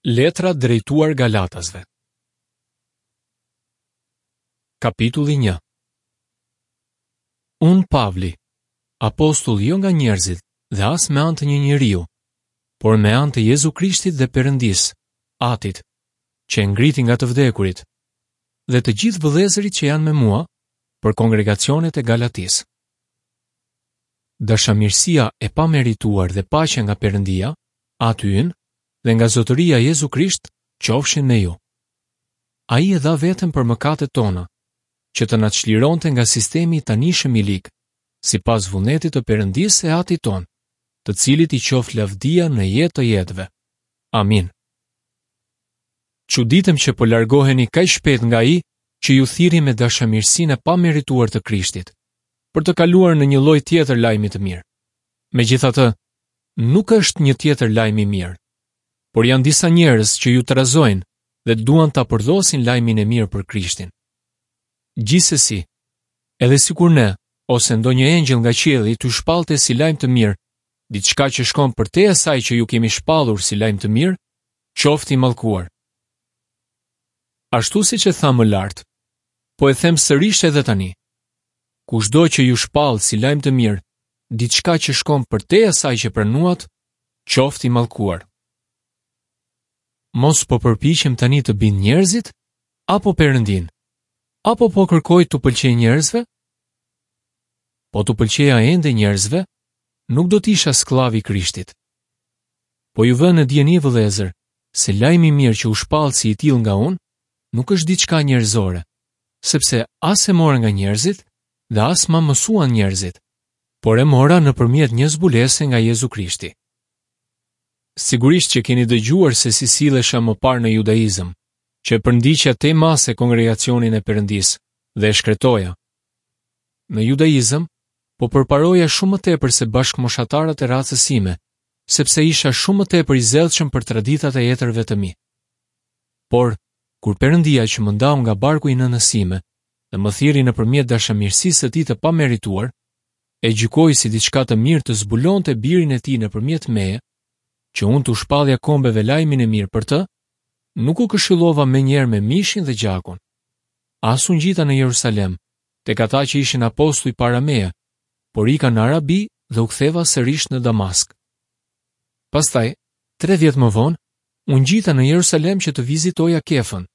Letra drejtuar Galatasve Kapitulli 1 Unë Pavli, apostull jo nga njerëzit dhe as me anë të një njeriu, por me anë të Jezu Krishtit dhe Perëndisë, Atit, që e ngriti nga të vdekurit, dhe të gjithë vëllezërit që janë me mua për kongregacionet e Galatisë. Dashamirësia e pamerituar dhe paqja nga Perëndia, Ati ynë, dhe nga Zotëria Jezu Krisht qofshin me ju. Ai e dha veten për mëkatet tona, që të na çlironte nga sistemi i tanishëm i lig, sipas vullnetit të Perëndisë e Atit tonë, të cilit i qoftë lavdia në jetë të jetëve. Amin. Çuditem që po largoheni kaq shpejt nga ai që ju thirri me dashamirësinë e pamerituar të Krishtit, për të kaluar në një lloj tjetër lajmi të mirë. Megjithatë, nuk është një tjetër lajm i mirë, por janë disa njerëz që ju trazojnë dhe duan ta përdhosin lajmin e mirë për Krishtin. Gjithsesi, edhe sikur ne ose ndonjë engjëll nga qielli t'ju shpallte si lajm të mirë diçka që shkon përtej asaj që ju kemi shpallur si lajm të mirë, qoftë i mallkuar. Ashtu siç e thamë më lart, po e them sërish edhe tani. Kushdo që ju shpall si lajm të mirë diçka që shkon përtej asaj që pranuat, qoftë i mallkuar. Mos po përpiqem tani të bind njerëzit apo Perëndinë? Apo po kërkoj t'u pëlqej njerëzve? Po t'u pëlqeja ende njerëzve, nuk do të isha skllav i Krishtit. Po ju vë në dijeni vëllezër, se lajmi i mirë që u shpall si i tillë nga unë, nuk është diçka njerëzore, sepse as e mora nga njerëzit dhe as ma mësuan njerëzit, por e mora nëpërmjet një zbulese nga Jezu Krishti. Sigurisht që keni dëgjuar se si sillesha më parë në judaizëm, që e përndiqja tej mase kongregacionin e Perëndisë dhe e shkretoja. Në judaizëm, po përparoja shumë më tepër se bashkëmoshatarët e racës sime, sepse isha shumë më tepër i zellshëm për traditat e etërve të mi. Por, kur Perëndia që më ndau nga barku i nënës sime dhe më thirri nëpërmjet dashamirësisë së tij të pamerituar, e gjykoi si diçka të mirë të zbulonte birin e tij nëpërmjet meje, që unë t'u shpallja kombeve lajmin e mirë për të, nuk u këshillova menjëherë me mishin dhe gjakun. As u ngjita në Jerusalem, tek ata që ishin apostuj para meje, por ika në Arabi dhe u ktheva sërish në Damask. Pastaj, tre vjet më vonë, u ngjita në Jerusalem që të vizitoja Kefën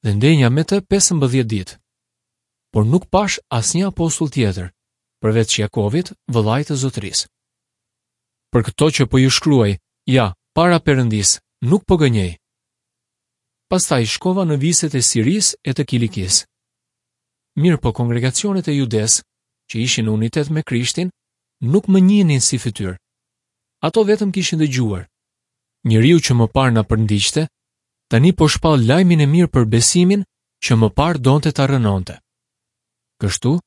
dhe ndenja me të 15 ditë. Por nuk pashë asnjë apostull tjetër, përveç Jakovit, vëllait të Zotërisë. Për këto që po ju shkruaj, ja, para Perëndisë, nuk po gënjej. Pastaj shkova në viset e Sirisë e të Kilikisë. Mirëpo kongregacionet e Judesë, që ishin në unitet me Krishtin, nuk më njihnin si fytyrë. Ato vetëm kishin dëgjuar. Njeriu që më parë na përndiqte, tani po shpall lajmin e mirë për besimin që më parë donte ta rrënonte. Kështu,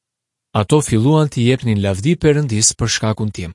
ato filluan t'i jepnin lavdi Perëndisë për shkakun tim.